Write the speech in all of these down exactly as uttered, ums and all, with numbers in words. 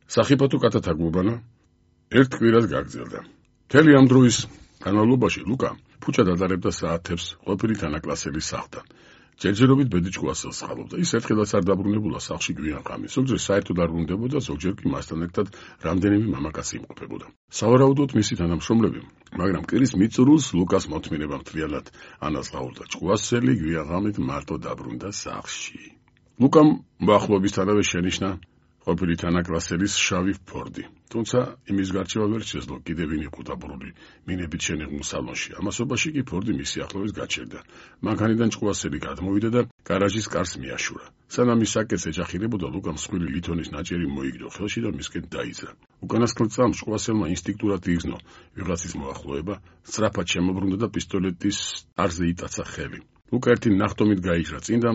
სახიფათო კატათაგუბანა ერთ კვირას გაგრძელდა. მთელი ამ დროის განმავლობაში ლუკა ფუჭად ატარებდა საათებს ყოფილი თანაკლასელის სახლთან. ჯერჯერობით ბედიჭკუასელს ხალობდა. ის ერთხელაც არ დაბრუნებულა სახლში გვიან ღამეს. ზოგჯერ საერთოდ არ ბრუნდებოდა, ზოგჯერ კი მასთან ერთად რამდენიმე მამაკაცი იმყოფებოდა. სავარაუდოდ მისი თანამშრომლები, მაგრამ კვირის მიწურულს ლუკას მოთმინება მთლიანად ანაზღაურდა. ჭკუასელი გვიან ღამით მარტო დაბრუნდა სახლში. ლუკამ მახლობისთანავე შენიშნა ყოფილი თანაკლასელის შავი ფორდი. თუმცა იმის გარჩევა ვერ შეძლო კიდევ ვინ იყო დაბრუნებული მინებით შენიღმულ სალონში. ამასობაში კი ფორდი მისი ახლოვეს გაჩერდა. მანქანიდან ჭკუასელი გადმოვიდა და გარაჟის კარს მიაშურა. სანამ ის საკეთს ეჯახირებოდა, ლუკამ მსხვილი ლითონის ნაჭერი მოიგდო ხელში და მისკენ დაიძრა. უკანასკნელ წამს ჭკუასელმა ინსტინქტურად იგრძნო ვიღაცის მოახლოება, სწრაფად შემობრუნდა და პისტოლეტის არზე იტაცა ხელი. ლუკა ერთი ნახტომით გაიჟრა წინ და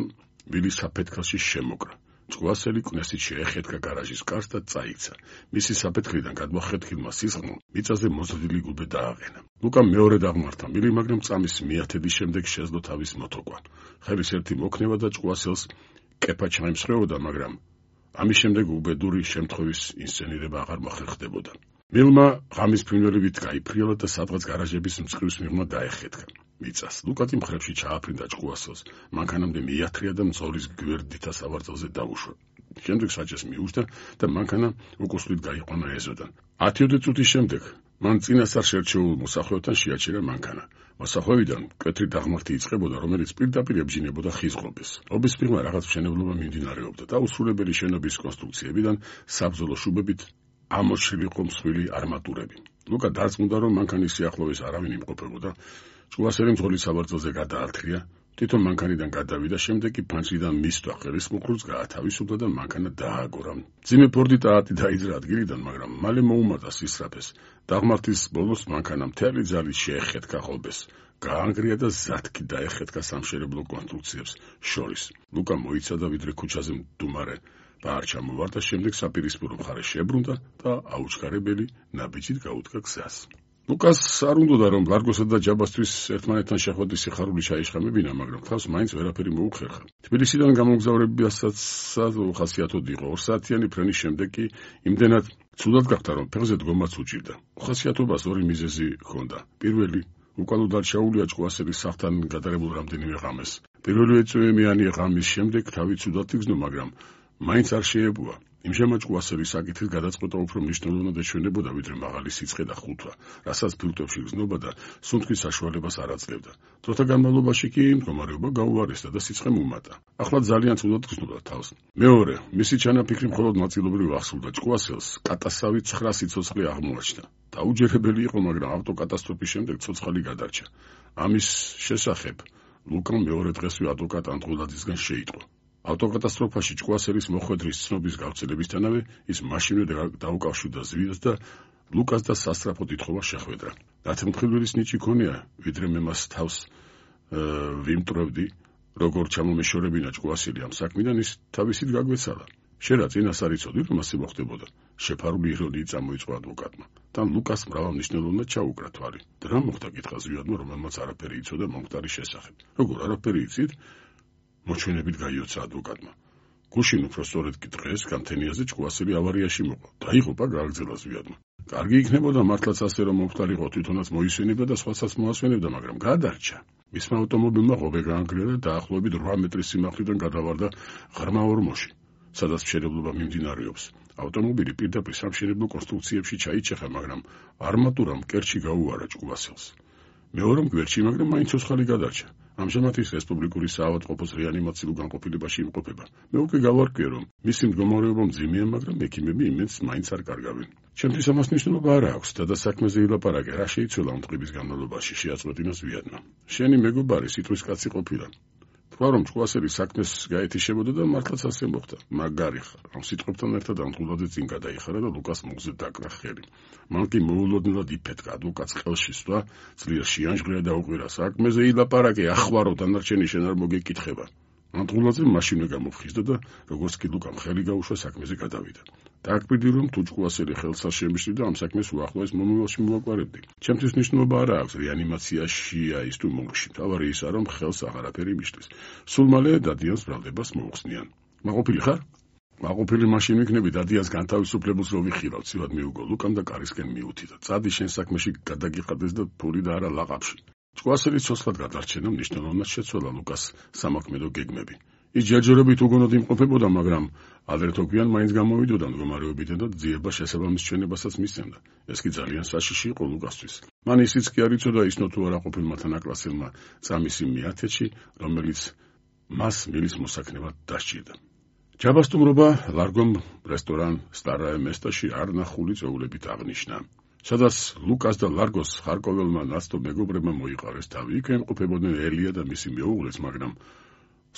ვილის საფეთქელში შემოკრა. ჭკუასელი კვნესით შეეხეთქა გარაჟის კარს და წაიქცა. მისი საფეთქლიდან გადმოხეთქილმა სისხლმა მიწაზე მოზრდილი გუბე დააყენა. ლუკამ მეორედ აღმართა მილი, მაგრამ წამის მიათედის შემდეგ შეძლო თავის მოთოკვა. ხელის ერთი მოქნება და ჭკუასელს კეფა ჩაიმსხვრეოდა, მაგრამ ამის შემდეგ უბედური შემთხვევის ინსცენირება აღარ მოხერხდებოდა. მილმა ღამის ფრინველებით გაიფრიალა და სადღაც გარაჟების მწყრის მიღმა დაეხეთქა მიწას. ლუკატი მხრებში ჩააფრინდა ჭკუასელს, მანქანამდე მიათრია და მძღოლის გვერდითა სავარძელზე დაუშვა. შემდეგ საჭეს მიუჯდა და მანქანა უკუსლით გაიყვანა ეზოდან. ათიოდე წუთის შემდეგ მან წინასწარ შერჩეულ მოსახლეობთან შეაჩერა მანქანა. მოსახლეობიდან მკვეთრი დაღმართი იწყებოდა, რომელიც პირდაპირ ებჯინებოდა ხის ღობეს. ღობის მიღმა რაღაც მშენებლობა მიმდინარეობდა და უსრულებელი შენობის კონსტრუქციებიდან საბრძოლო შუბებით ამოშლილიყო მსხვილი არმატურები. ლუკა დარწმუნდა, რომ მანქანის სიახლოვეს არავინ იმყოფებოდა. ჭკუასელი მძღოლის საბრძოლზე გადაართლია, თვითონ მანქანიდან გადავიდა, შემდეგ კი ფანჯრიდან მისვლა ხელის მუხლურს გაათავისუფლა და მანქანა დააგორა. მძიმე ფორდი ტაატი დაიძრა ადგილიდან, მაგრამ მალე მოუმატა სისწრაფეს. დაღმართის ბოლოს მანქანა მთელი ძალით შეეხეთქა ღობეს, გაანგრია და ზათქი დაეხეთქა სამშენებლო კონსტრუქციებს შორის. ლუკა მოიცადა, ვიდრე ქუჩაზე მდუმარე ბარ ჩამოვარდა, შემდეგ საპირისპირო მხარე შებრუნდა და აუჩქარებელი ნაბიჯით გაუდგა გზას. ლუკას არ უნდოდა, რომ ლარგოსა და ჯაბასთვის ერთმანეთთან შეხვედრის სიხარული ჩაიშხამებინა, მაგრამ თავს მაინც ვერაფერი მოუხერხა. თბილისიდან გამოგზავრებასაც უხასიათოდ იყო. ორ საათიანი ფრენის შემდეგ კი იმდენად ცუდად გახდა, რომ ფეხზე დგომაც უჭირდა. უხასიათობას ორი მიზეზი ჰქონდა. პირველი, უკან დარჩაულია ჭკუასელის სახლთან გადაღებულ რამდენიმე ღამეს. პირველი ეწვევიანი ღამის შემდეგ თავი ცუდად იგრძნო, მაგრამ მაინც არ შეებუა. იმჟამა ჭკუასელის საკითხის გადაწყვეტა უფრო მნიშვნელოვნად ეჩვენებოდა, ვიდრე მაღალი სიცხე და ხუთვა, რასაც ფილტვებში გრძნობა და სუნთქვის საშუალებას არ აძლევდა. დროთა განმავლობაში კი მდგომარეობა გაუარესდა და სიცხე მომატა. ახლა ძალიან ცუდად გრძნობდა თავს. მეორე, მისი ჩანაფიქრი მხოლოდ ნაწილობრივ ახსოვდა. ჭკუასელს კატასავი ცხრა სიცოცხლე აღმოაჩნდა. დაუჯერებელი იყო, მაგრამ ავტოკატასტროფის შემდეგ ცოცხალი გადარჩა. ამის შესახებ ლუკამ მეორე დღესვე ადვოკატ ანტღულაძისგან შეიტყო. ავტოკატასტროფაში ჭკუასელის მოხვედრის ცნობის გავრცელებისთანავე ის მაშინვე დაუკავშირდა ზვიადს და ლუკას და სასწრაფო თვითხოვა შეხვედრა. დათმთხილველის ნიჭი ქონია, ვიდრე მე მას თავს ვიმტვრევდი, როგორ ჩამომეშორებინა ჭკუასელი ამ საქმიდან, ის თავისით გაგვეცალა. შენ რა წინას არ იცოდი, რომ ასე მოხდებოდა? შეფარული ირონიით წამოიწყო ადვოკატმა. თან ლუკას მრავალმნიშვნელოვნად ჩაუკრა თვალი. რა მოხდა, კითხა ზვიადმა, რომელმაც არაფერი იცოდა მომხდარის შესახებ. როგორ არაფერი იცით? მოჩვენებით გაიოცა ადვოკატმა. გუშინ უფრო სწორედ კი დღეს გამთენიაზე ჭკუასელი ავარიაში მოყვა. დაიღუპა, გააგრძელა ზვიადმა. კარგი იქნებოდა მართლაც ასე, რომ მომხდარიყო, თვითონაც მოისვენებდა და სხვაცაც მოასვენებდა, მაგრამ გადარჩა. მისმა ავტომობილმა ღობე გაანგრია და დაახლოებით რვა მეტრის სიმაღლიდან გადავარდა ღრმა ორმოში, სადაც მშენებლობა მიმდინარეობს. ავტომობილი პირდაპირ სამშენებლო კონსტრუქციებში ჩაიჭეხა, მაგრამ არმატურამ კერჩი გაუარა ჭკუასელს. მეორემ გვერდში, მაგრამ მაინც ცოცხალი გადარჩა. ამჟამად ის რესპუბლიკური საავადმყოფოს რეანიმაციულ განყოფილებაში იმყოფება. მე უკვე გავარკვიე, რომ მისი მდგომარეობა მძიმეა, მაგრამ ექიმები იმენს მაინც არ კარგავენ. ჩემთვის ამას მნიშვნელობა არ აქვს და საქმეზე ილაპარაკე, რა შეიცვალა ამ დღის განმავლობაში, შეაწყვეტინა ზვიადმა. შენი მეგობარი სიტყვის კაცი ყოფილა. თქვა, რომ ჭკუასელი საქმეს გაეთიშებოდა და მართლაც ასე მოხდა. მაგარი ხარ. ამ სიტყვებთან ერთად ანტღულაძე წინ გადაიხარა და ლუკას მუხზე დაკრა ხელი. მან კი მოულოდნელად იფეთქა ადვოკატს ხელში სვლა, ძლიერ შეანჟღრია და უყვირა, საქმეზე ილაპარაკე, ახვარო, დანარჩენი შენ არ მოგეკითხება. ანტღულაძე მაშინვე გამოფხიზდა და როგორც კი ლუკამ ხელი გაუშვა, საქმეზე გადავიდა. დააკვირდი, რომ თუ ჭკუასელი ხელს არ შემიშლიდა, ამ საქმეს უახლოეს მომავალში მოვაკვირებდი. ჩემთვის მნიშვნელობა არ აქვს რეანიმაციაშია ის თუ მომში. თავარი ისაა, რომ ხელს აღარაფერი მიშლის. სულ მალე დადიანს ბრალდებას მოუხსნიან. მაყოფილი ხარ? მაყოფილი მაშინ ვიქნები დადიანს განთავისუფლებულს რო ვიხირავ, ცივად მიუგო ლუკამ და კარისკენ მიუთითო. წადი შენ საქმეში გადაგიყდეს და ფული და არა ლაყაფში. ჭკუასელის ცოცხლად გადარჩენა მნიშვნელოვნად შეცვალა ლუკას სამოქმედო გეგმები. ის ჯერჯერობით უგონოდ იმყოფებოდა, მაგრამ ადრე თოქვიან მაინც გამოვიდოდა მდგომარეობიდან და ძიება შესაბამის ჩვენებასაც მისცემდა. ეს კი ძალიან საშიში იყო ლუკასთვის. მან ისიც კი არ იცოდა ისნო თუ არა ყოფილმა თანაკლასელმა წამის იმ მეათეთში, რომელიც მას მილის მოსაქნელად დასჭირდა. ჯაბასტუმრობა ლარგომ რესტორან სტარაე მესტაში არნახული წეულებით აღნიშნა. სადაც ლუკას და ლარგოს ხარკოველმა ნაცნობ მეგობრებმა მოიყარეს თავი. იქ ემყოფებოდნენ ელია და მისი მეუღლეც, მაგრამ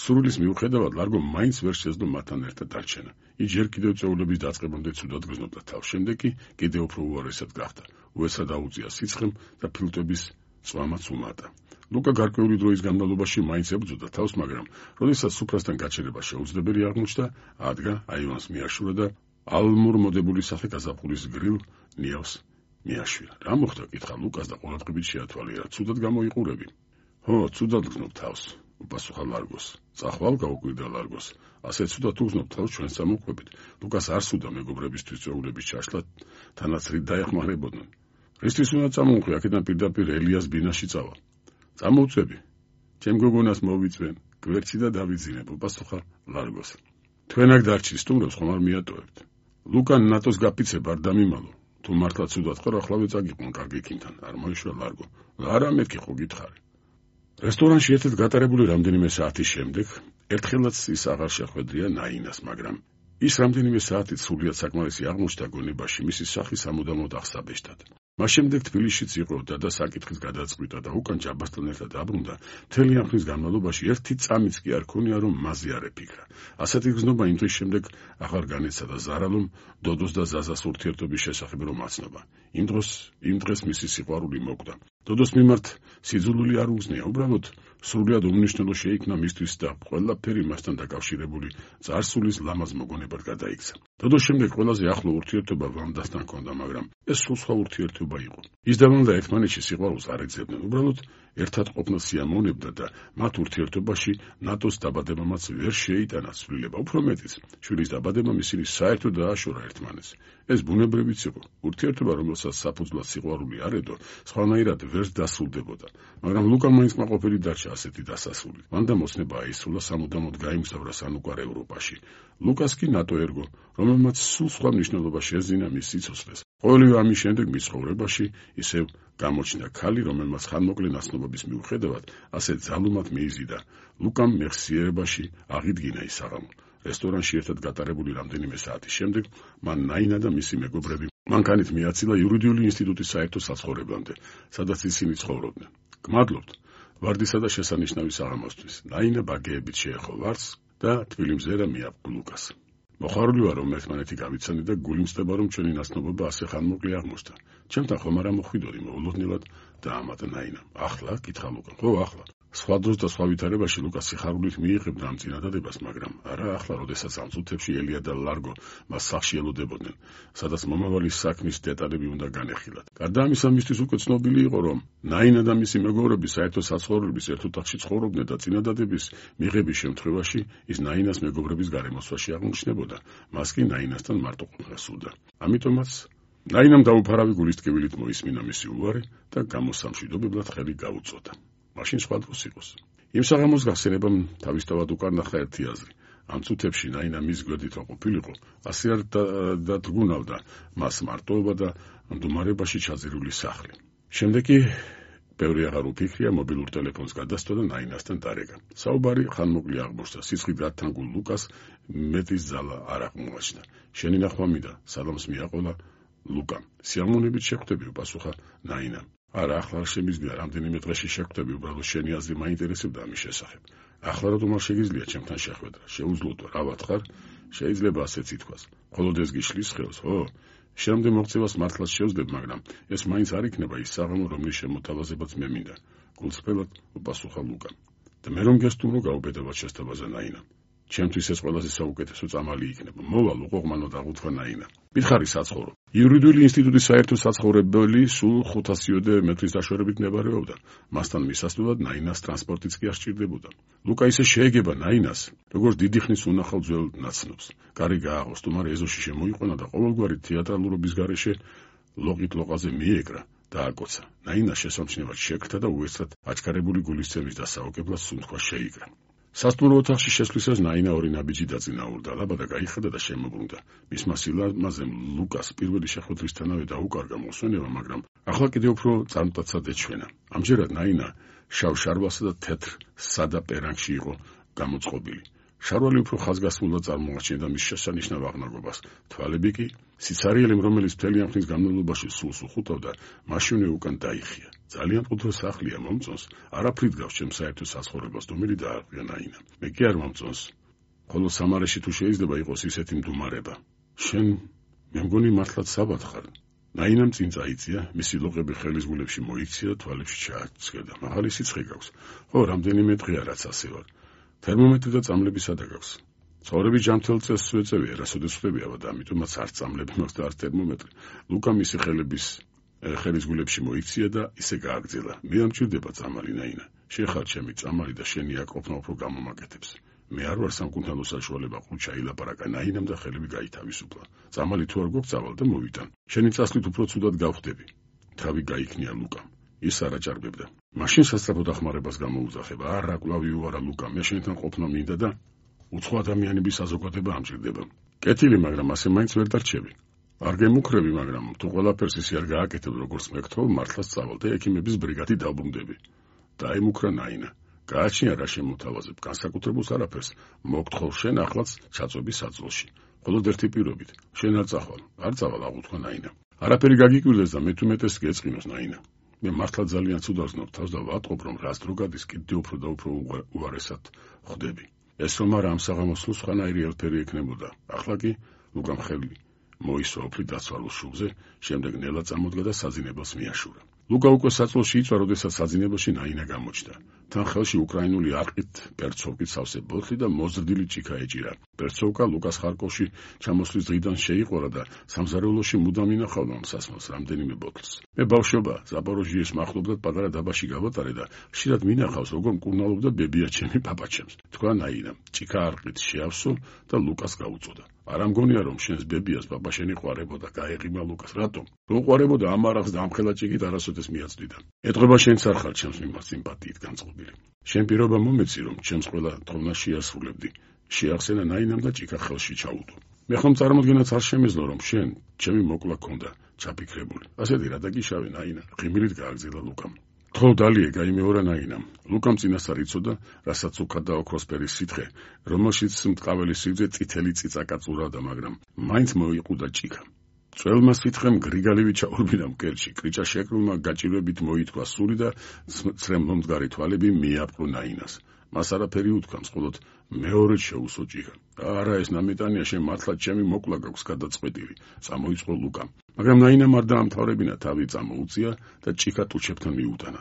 სურვილის მიუხედავად ლარგო მაინც ვერ შეძლო მათთან ერთად დარჩენა. ის ჯერ კიდევ წეულების დაწყებამდე ცუდად გრძნობდა თავს. შემდეგ კი კიდევ უფრო უარესად გახდა. უეცრად აუწია სიცხემ და ფილტვების წვამაც უმატა. ლუკა გარკვეული დროის განმავლობაში მაინც ებრძოდა თავს, მაგრამ როდესაც სუფრასთან გაჩერება შეუძლებელი აღმოჩნდა, ადგა აივანს მიაშურა და ალმურ მოდებული სახე გაზაფხულის გრილ ნიავს მიაშურა. რა მოხდა? კითხა ლუკას და ყურადღებით შეათვალიერა. ცუდად გამოიყურები? ხო, ცუდად გრძნობ თავს. უპასუხა ლარგოს. წახვალ გაუკვირდა ლარგოს. ასე ცუდად უგზნობ თავს ჩვენ სამოქმედებით. ლუკას არ სურდა მეგობრებისთვის წეულების ჩაშლა, თანაც რით დაეხმარებოდნენ. რისთვის უნდა წამოვყვი, აქედან პირდაპირ ელიას ბინაში წავალ. წამოვწები. ჩემ გოგონას მოვიწვენ, გვერდში და დავიძინებ, უპასუხა ლარგოს. თქვენ აქ დარჩი, სტუმრებს ხომ არ მიატოვებთ? ლუკა ნატოს გაფიცება არ დამიმალო. თუ მართლა ცუდად ხარ, ახლავე წაგიყვან კარგი იქიმთან. არ მოიშვა ლარგო. არა მეთქი ხო გითხარი. რესტორანში ერთად გატარებული რამდენიმე საათის შემდეგ ერთხელაც ის აღარ შეხვედრია ნაინას, მაგრამ ის რამდენიმე საათით სრულიად საკმარისი აღმოჩნდა გონებაში მისი სახის სამუდამოდ აღსაბეჭდად. მას შემდეგ თბილისშიც იყო და და საკითხის გადაწყვიტა და უკან ჯაბასთან ერთად დაბრუნდა. მთელი ამ ხნის განმავლობაში ერთი წამიც კი არ ქონია, რომ მასზე არ ეფიქრა. ასეთი გზნობა იმ დღის შემდეგ აღარ განეცადა ზარალომ დოდოს და ზაზას ურთიერთობის შესახებ რომ აცნობა. იმ დროს იმ დღეს მისი სიყვარული მოკვდა. დოდოს მიმართ სიძულული არ უგზნია, უბრალოდ სრულიად უმნიშვნელო შეიქმნა მისთვის და ყველაფერი მასთან დაკავშირებული წარსულის ლამაზ მოგონებად გადაიქცა. დოდოს შემდეგ ყველაზე ახლო ურთიერთობა ვანდასთან ჰქონდა, მაგრამ ეს სულ სხვა ურთიერთობა იყო. ის და ვანდა ერთმანეთში სიყვარულს არ ეძებდნენ, უბრალოდ ერთად ყოფნა სიამოვნებდა და მათ ურთიერთობაში ნატოს დაბადებამაც ვერ შეიტანა ცვლილება. უფრო მეტიც, შვილის დაბადებამ ისინი საერთოდ დააშორა ერთმანეთს. ეს ბუნებრივიც იყო. ურთიერთობა, რომელსაც საფუძვლად სიყვარული არ ედო, სხვანაირად ვერ დასრულდებოდა. მაგრამ ლუკა მაინც კმაყოფილი დარჩა ასეთი დასასრული. ვანდამ ოცნება აისრულა, სამუდამოდ გაიმგზავრა სანუკვარ ევროპაში. ლუკას კი ნატო ერგო, რომელმაც სულ სხვა მნიშვნელობა შეზინა მის სიცოცხლეს. ყოველივე ამის შემდეგ მის ცხოვრებაში ისევ გამოჩნდა ქალი, რომელმაც ხანმოკლე ნაცნობობის მიუხედავად ასე ძალუმად მიიზიდა. ლუკამ მეხსიერებაში აღიდგინა ის საღამო. რესტორანში ერთად გატარებული რამდენიმე საათის შემდეგ მან ნაინა და მისი მეგობრები მანქანით მიაცილა იურიდიული ინსტიტუტის საერთო საცხოვრებლამდე, სადაც ისინი ცხოვრობდნენ. გმადლობთ ვარდისა და შესანიშნავი საღამოსთვის. ნაინა ბაგეებით შეეხო ვარს და თბილი მზერა მიაბ ლუკას. მოხარული ვარ, რომ ერთმანეთი გავიცანე და გული მწდება, რომ ჩვენი ნაცნობობა ასე ხანმოკლე აღმოჩნდა. ჩემთან ხომ არ მოხვიდოდი მოულოდნელად დაამატა ნაინამ. ახლა? კითხა ლუკა. ხო, ახლა. სხვა დროს და სხვა ვითარებაში ლუკა სიხარულით მიიღებდა ამ წინადადებას, მაგრამ არა ახლა, როდესაც ამ წუთებში ელია და ლარგო მას სახლში ელოდებოდნენ, სადაც მომავალი საქმის დეტალები უნდა განეხილათ. გარდა ამისა, მისთვის უკვე ცნობილი იყო, რომ ნაინა და მისი მეგობრები საერთო საცხოვრებლების ერთ ოთახში ცხოვრობდნენ და წინადადების მიღების შემთხვევაში ის ნაინას მეგობრების გარემოსვაში აღმოჩნდებოდა. მას კი ნაინასთან მარტო ყოფნა სურდა. ამიტომაც ნაინამ დაუფარავი გულის ტკივილით მოისმინა მისი უარი და გამოსამშვიდობებლად ხელი გაუწოდა. მაშინ სხვა დროს იყოს. იმ საღამოს გახსენებამ თავისთავად უკან ნახა ერთი აზრი. ამ წუთებში ნაინა მის გვერდით რო ყოფილიყო, ასე არ დადგუნავდა მას მარტოობა და მდგომარეობაში ჩაძირული სახლი. შემდეგ კი ბევრი აღარ უფიქრია, მობილურ ტელეფონს გადასცდა და ნაინასთან დარეკა. საუბარი ხანმოკლე აღმოჩნდა. სისხლით გათანგულ ლუკას მეტის ძალა არ აღმოაჩნდა. შენი ნახვა მინდა, სალამს მიაყოლა ლუკამ. სიამოვნებით შეხვდები, უპასუხა ნაინამ. არა, ახლა არ შემიძლია, რამდენიმე დღეში შეხვდები, უბრალოდ შენი აზრი მაინტერესებდა ამის შესახებ. ახლა რატომ არ შეგიძლია ჩემთან შეხვედრა? შეუძლოა, რა ვათხარ? შეიძლება ასეც ითქვას. მხოლოდ ეს გიშლის ხელს, ხო? შენამდე მოღწევას მართლაც შევძლებთ, მაგრამ ეს მაინც არ იქნება ის საღამო, რომლის შემოთავაზებაც მე მინდა. გულწრფელად უპასუხა ლუკამ. და მე რომ გესტუმრო გაუბედავად შესთავაზა ნაინამ. ჩემთვის ეს ყველაზე საუკეთესო წამალი იქნება. მოვალ უყოღმანო დაღუთვა ნაინა. მითხარი საცხოვრო. იურიდიული ინსტიტუტის საერთო საცხოვრებელი სულ ხუთასიოდე მეტრის დაშორებით მდებარეობდა. მასთან მისასვლელად ნაინას ტრანსპორტიც კი არ სჭირდებოდა. ლუკა ისე შეეგება ნაინას, როგორც დიდი ხნის უნახავ ძველ ნაცნობს. კარი გააღოს, თუმცა ეზოში შემოიყვანა და ყოველგვარი თეატრალურობის გარეშე ლოყით ლოყაზე მიეკრა და აკოცა. ნაინა შესამჩნევად შეკრთა და უეცრად აჩქარებული გულისცემის დასაოკებლად სუნთქვა შეიკრა. სასტუმრო ოთახში შესვლისას ნაინა ორი ნაბიჯი დაწინაურდა, ლაბადა გაიხადა და შემოbrunდა. მისმა სილამაზემ ლუკას პირველი შეხვედრისთანავე დაუკარგა მოსვენება, მაგრამ ახლა კიდევ უფრო წარმტაცად ეჩვენა. ამჯერად ნაინა შავ შარვალსა და თეთრ სადა პერანგში იყო გამოწყობილი. შარვალი უფრო ხაზგასმულად წარმოაჩენდა მის შესანიშნავ აღნაგობას. თვალები კი, სიცარიელემ, რომელიც მთელი ამ ხნის განმავლობაში სულს უხუტავდა, მაშინვე უკან დაიხია. ძალიან მყუდრო სახლია, მომწონს. არაფრით გავს ჩემს საერთო საცხოვრებას, დუმილი დაარღვია ნაინა. მე კი არ მომწონს. ხოლო სამარეში თუ შეიძლება იყოს ისეთი მდუმარება. შენ მე მგონი მართლაც საბად ხარ. ნაინამ წინ წაიწია, მისი ლოყები ხელის გულებში მოიქცია და თვალებში ჩააცქერდა. მაღალი სიცხე გაქვს. ხო, რამდენიმე დღეა რაც ასე ვარ. თერმომეტრი და წამლები სადა გაქვს. ცხოვრების ჯანმრთელ წესს ვეწევია, რასოდეს ხვდებია და ამიტომაც არც წამლები მაქვს და არც თერმომეტრი. ლუკა მისი ხელების ხელის გულებში მოიქცია და ისე გააგრძელა. მე არ მჭირდება წამალი ნაინა. შენ ხარ ჩემი წამალი და შენი აკოფნა უფრო გამომაკეთებს. მე არ ვარ სამკუთხედო საშუალება ყუჩა ილაპარაკა ნაინამ და ხელები გაითავისუფლა. წამალი თუ არ გვგწავალ და მოვიტან. შენი წასვლით უფრო ცუდად გავხდები. თავი გაიქნია ლუკამ. ის არ აჭარბებდა. მაშინ სასწრაფო დახმარებას გამოუძახება. არა, კვლავ იუარა ლუკა, მე შენთან ყოფნა მინდა და უცხო ადამიანების საზოგადოება ამჭირდება. კეთილი, მაგრამ ასე მაინც ვერ დარჩები. არ გემუქრები, მაგრამ თუ ყველაფერს ისე არ გააკეთებ, როგორც მეკითხავ, მართლაც წავალ და ექიმების ბრიგადი დავბრუნდები. დაიმუქრა ნაინა. გააჩნია რა შემოთავაზებ, განსაკუთრებულს არაფერს. მოგთხოვ შენ ახლაც ჩაწვების საძვალში. მხოლოდ ერთი პირობით. შენ არ წახვალ, არ წავალ, აღუთქვა ნაინა. არაფერი გაგიკვირდეს და მე თუ მეტეს გეწყინოს ნაინა. მე მართლა ძალიან ცუდად ვზნობ თავს და ვატყობ, რომ რას დრო გადის, კიდევ უფრო და უფრო უარესად ხვდები. ეს რომ არა ამ საღამოს სულ სხვანაირი ელფერი ექნებოდა. ახლა კი ლუკამ ხელი მოისვა ოფლი დაცვალოს შუბზე, შემდეგ ნელა წამოდგა და საძინებელს მიაშურა. ლუკა უკვე საწოლში იწვა, როდესაც საძინებელში ნაინა გამოჩნდა. თან ხელში უკრაინული არყით პერცოვკით სავსე ბოთლი და მოზრდილი ჭიქა ეჭირა. პერცოვკა ლუკას ხარკოვში ჩამოსვლის დღიდან შეიყარა და სამზარეულოში მუდამ ინახავდა სასმელს რამდენიმე ბოთლს. მე ბავშვობა ზაპოროჟიეს მახლობლად პატარა დაბაში გავატარე და ხშირად მინახავს, როგორ მკურნალობდა ბებია ჩემი პაპაჩემს. თქვა ნაინამ, ჭიქა არყით შეავსო და ლუკას გაუწოდა. არა მგონია, რომ შენს ბებიას პაპა შენი ყვარებოდა, გაეღიმა ლუკას. რატომ? რო ყვარებოდა ამ არახს და ამ ხელა ჭიქით არასოდეს მიაწვდიდა. ეთყობა შენც არ ხარ ჩემს მიმართ სიმპათიით განწყობილი. შენ პირობა მომეცი, რომ ჩემს ყველა თხოვნას შეასრულებდი. შეახსენა ნაინამ და ჭიქა ხელში ჩაუდო. მე ხომ წარმოდგენაც არ შემეძლო, რომ შენ ჩემი მოკლა ქონდა ჩაფიქრებული. ასეთი რა დაგიშავე ნაინა, ღიმილით გააგზელა ლუკამ. ხო დალიე გაიმეორა ნაინამ. ლუკამ წინასწარ იცოდა, რასაც უკად და ოქროსფერის სითხე, რომელშიც მტყაველი სიგრძე წითელი წიწაკა წურადა, მაგრამ მაინც მოიყუდა ჭიქა. წველმა სითხემ გრიგალივი ჩაურბინა მკერდში, კრიჭა შეკრულმა გაჭირვებით მოითქვა სული და ცრემლომდგარი თვალები მიაპყრო ნაინას. მას არაფერი უთქვა, მხოლოდ მეორედ შეუსო ჭიქა. არა, ეს ნამეტანია, შენ მართლა ჩემი მოკლა გაქვს გადაწყვეტილი, წამოიწყო ლუკამ. მაგრამ ნაინამ არ დაამთავრებინა, თავი წამოუწია და ჭიქა ტუჩებთან მიუტანა.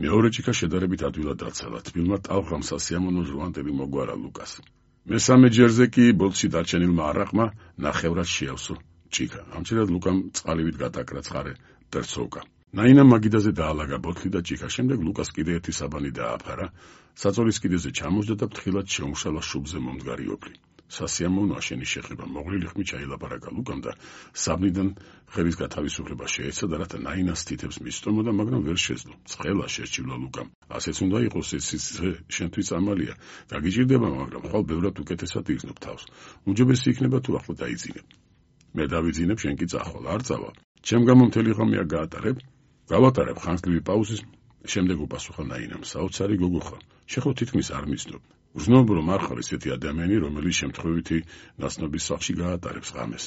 მეორე ჭიქა შედარებით ადვილად დაცალა, თბილმა ტალღამ სასიამოვნო ჟვანტები მოგვარა ლუკას. მესამე ჯერზე კი ბოთლში დარჩენილმა არაყმა ნახევრად შეავსო ჭიქა. ამჯერად ლუკამ წყალივით გადაკრა ცხარე პერცოვკა. ნაინამ მაგიდაზე დაალაგა ბოთლი და ჭიქა, შემდეგ ლუკას კიდე ერთი საბანი დააფარა, საწოლის კიდეზე ჩამოსდა და ფრთხილად შეუმშალა შუბზე მომდგარი ოფლი. სასიამოვნოა შენი შეხება, მოღლილი ხმით ჩაილაპარაკა ლუკამ და საბნიდან ხელის გათავისუფლება შეეცადა, რათა ნაინას თითებს მისწომოდა, მაგრამ ვერ შეძლო. ცხელა შესჭირდა ლუკამ. ასეც უნდა იყოს, ეს შენთვის წამალია. გაგიჭირდება, მაგრამ ხვალ ბევრად უკეთესად იგრძნობ თავს. უმჯობესი იქნება თუ ახლა დაიძინებ. მე დავიძინებ, შენ კი წახვალ, არ წავალ. ჩემ გამო მთელი ღამე არ გაატარებ? გავატარებ ხანგრძლივი პაუზის, შემდეგ უპასუხა ნაინამ. საოცარი გოგო ხარ. შეხო თითქმის არ მისდნობ. ვზნობ, რომ არ ხარ ესეთი ადამიანი, რომელიც შემთხვევითი ნაცნობის სახლში გაატარებს ღამეს.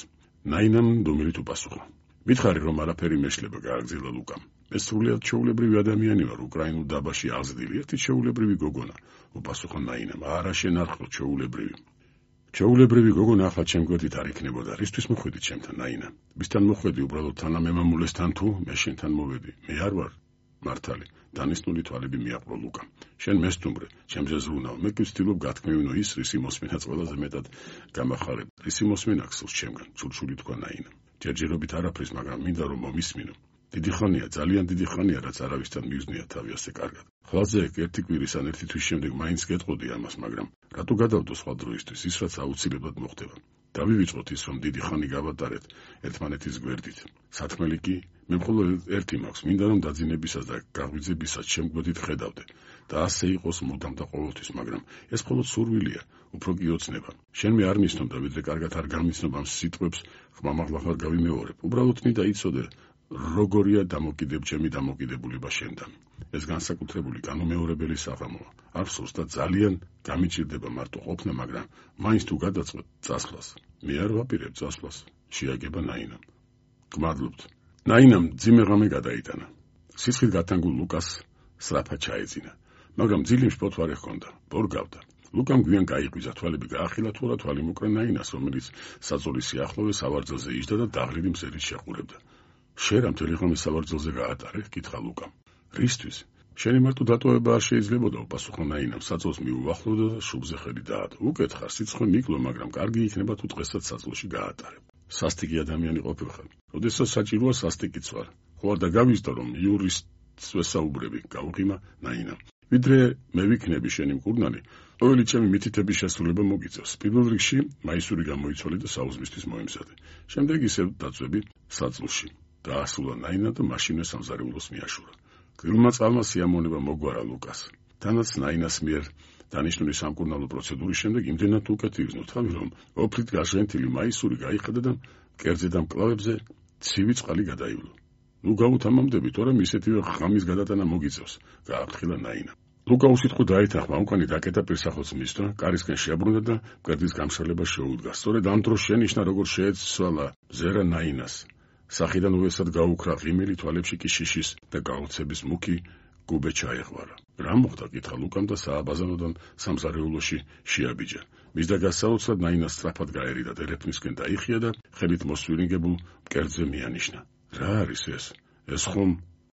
ნაინამ დუმილით უპასუხა. მითხარი, რომ არაფერი მეშლება, გააგრძელა ლუკამ. მე სრულიად ჩვეულებრივი ადამიანი ვარ, უკრაინულ დაბაში აღზრდილი, ერთი ჩვეულებრივი გოგონა, უპასუხა ნაინამ. არა, შენ არ ხარ ჩვეულებრივი. ჩვეულებრივი გოგონა ახლა ჩემ გვერდით არ იქნებოდა. რისთვის მოხვედი ჩემთან, ნაინა? ვისთან მოხვედი, უბრალოდ თანამემამულესთან თუ მე შენთან მოვედი? მე არ ვარ. მართალი, დანიშნული თვალები მიაყრო ლუკამ. შენ მესტუმრე, ჩემზე ზრუნავ, მე კი ვცდილობ გათქმევინო ის, რისი მოსმენაც ყველაზე მეტად გამახარებ. რისი მოსმენა გსურს ჩემგან, ცურჩული თქვა ნაინამ. ჯერჯერობით არაფრის, მაგრამ მინდა რომ მომისმინო. დიდი ხანია, ძალიან დიდი ხანია, რაც არავისთან მივზნია თავი ასე კარგად. ხვალზე ერთი კვირის ან ერთი თვის შემდეგ მაინც გეტყოდი ამას, მაგრამ რატო გადავდო სხვა დროისთვის, ის რაც აუცილებლად მოხდება. დავივიწყოთ ის, რომ დიდი ხანი გავატარეთ ერთმანეთის გვერდით. სათქმელი კი, მე მხოლოდ ერთი მაქვს, მინდა რომ დაძინებისას და გაღვიძებისას შემგვედით ხედავდე. და ასე იყოს მუდამ და ყოველთვის, მაგრამ ეს მხოლოდ სურვილია, უფრო კი ოცნება. შენ მე არ მისნობ და ვიდრე კარგად არ გამიცნობ ამ სიტყვებს, ხმამაღლაღარ გავიმეორებ. უბრალოდ მინდა იცოდე, როგორია დამოკიდებ ჩემი დამოკიდებულება შენთან. ეს განსაკუთრებული განუმეორებელი საღამოა. აფსოს და ძალიან გამიჭირდება მარტო ყოფნა, მაგრამ მაინც თუ გადაწყვეტ წასვლას. მე არ ვაპირებ წასვლას, შეაგება ნაინამ. გმადლობთ. ნაინამ ძიმე ღამე გადაიტანა. სისხლით გათანგულ ლუკას სრაფად ჩაეძინა, მაგრამ ძილიმ შფოთვარე ჰქონდა, ბორგავდა. ლუკამ გვიან გაიღვიძა, თვალები გაახილა, თურა თვალი მოკრა ნაინას, რომელიც საძოლის სიახლოვე სავარძელზე იჯდა და დაღლილი მზერით შეყურებდა. შენ რა მთელი ღამე სავარძელზე გაატარე? კითხა ლუკამ. რისთვის? შენი მარტო დატოვება არ შეიძლებოდა, უპასუხა ნაინამ, საძოლს მიუახლოვდა და შუბზე ხელი დაადო. უკეთხარ, სიცხე მიკლო, მაგრამ კარგი იქნება თუ დღესაც საძოლში გაატარებ. სასტიკი ადამიანი ყოფილხარ. როდესაც საჭიროა სასტიკიც ვარ. ხო არ დაგავიზდა, რომ იურისტს ვესაუბრები, გაუღიმა ნაინამ. ვიდრე მე ვიქნები შენი მკურნალი, ყოველი ჩემი მითითების შესრულება მოგიწევს. პირველ რიგში მაისური გამოიცვალე და საუზმისთვის მოემზადე. შემდეგ ისევ დაწვევი საძულში. დაასრულა ნაინა და მაშინვე სამზარეულოს მიაშურა. გრილმა წყალმა სიამოვნება მოგვარა ლუკას. თანაც ნაინას მიერ დანიშნული სამკურნალო პროცედურის შემდეგ იმდენად უკეთ იგრძნო თავი, რომ ოფლით გაჟღენთილი მაისური გაიხედა და მკერდზე და მკლავებზე ცივი წყალი გადაივლო. ნუ გავუთამამდები, თორემ ისეთივე ღამის გადატანა მოგიწევს, გააფრთხილა ნაინა. ლუკა უსიტყვო დაეთანხმა, უკანი დაკეტა პირსახოც მისდრა, კარისკენ შეაბრუნდა და მკერდის გამშრალება შეუდგა. სწორედ ამ დროს შენიშნა, როგორ შეეცვალა ზერა ნაინას. სახიდან უესად გაუქრა ღიმილი, თვალებში კი შიშის და გაუცების მუქი გუბე ჩაეღვარა. რა მოხდა? კითხა ლუკამ და სააბაზანოდან სამზარეულოში შეაბიჯა. მის და გასაოცრად ნაინა სწრაფად გაერიდა, ტელეფონისკენ დაიხია და ხელით მოსვირინგებულ მკერდზე მიანიშნა. რა არის ეს? ეს ხომ